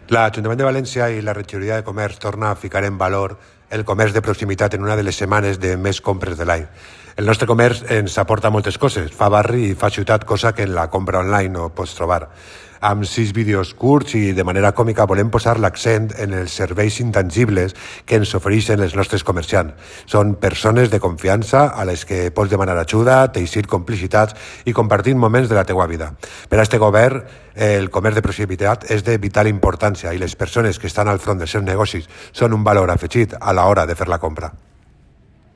L'Ajuntament de València i la Regidoria de Comerç torna a ficar en valor el comerç de proximitat en una de les setmanes de més compres de l'any. El nostre comerç ens aporta moltes coses, fa barri i fa ciutat, cosa que en la compra online no pots trobar. Amb 6 vídeos curts i de manera còmica volem posar l'accent en els serveis intangibles que ens ofereixen els nostres comerciants. Són persones de confiança a les que pots demanar ajuda, teixir complicitats i compartir moments de la teua vida. Per a este govern, el comerç de proximitat és de vital importància i les persones que estan al front dels seus negocis són un valor afegit a l'hora de fer la compra.